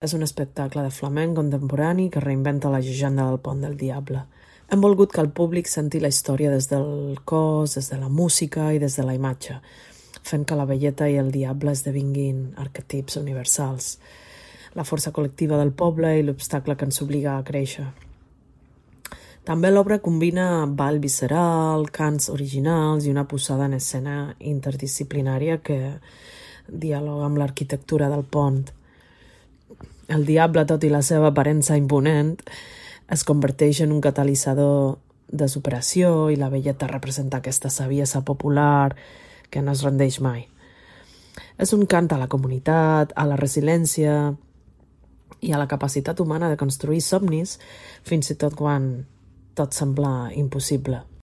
És un espectacle de flamenc contemporani que reinventa la llegenda del Pont del Diable. Hem volgut que el públic senti la història des del cos, des de la música i des de la imatge, fent que la velleta i el diable esdevinguin arquetips universals, la força col·lectiva del poble i l'obstacle que ens obliga a créixer. També l'obra combina ball visceral, cants originals i una posada en escena interdisciplinària que dialoga amb l'arquitectura del pont. El diable, tot i la seva aparença imponent, es converteix en un catalitzador de superació i la velleta representa aquesta saviesa popular que no es rendeix mai. És un cant a la comunitat, a la resiliència i a la capacitat humana de construir somnis, fins i tot quan tot sembla impossible.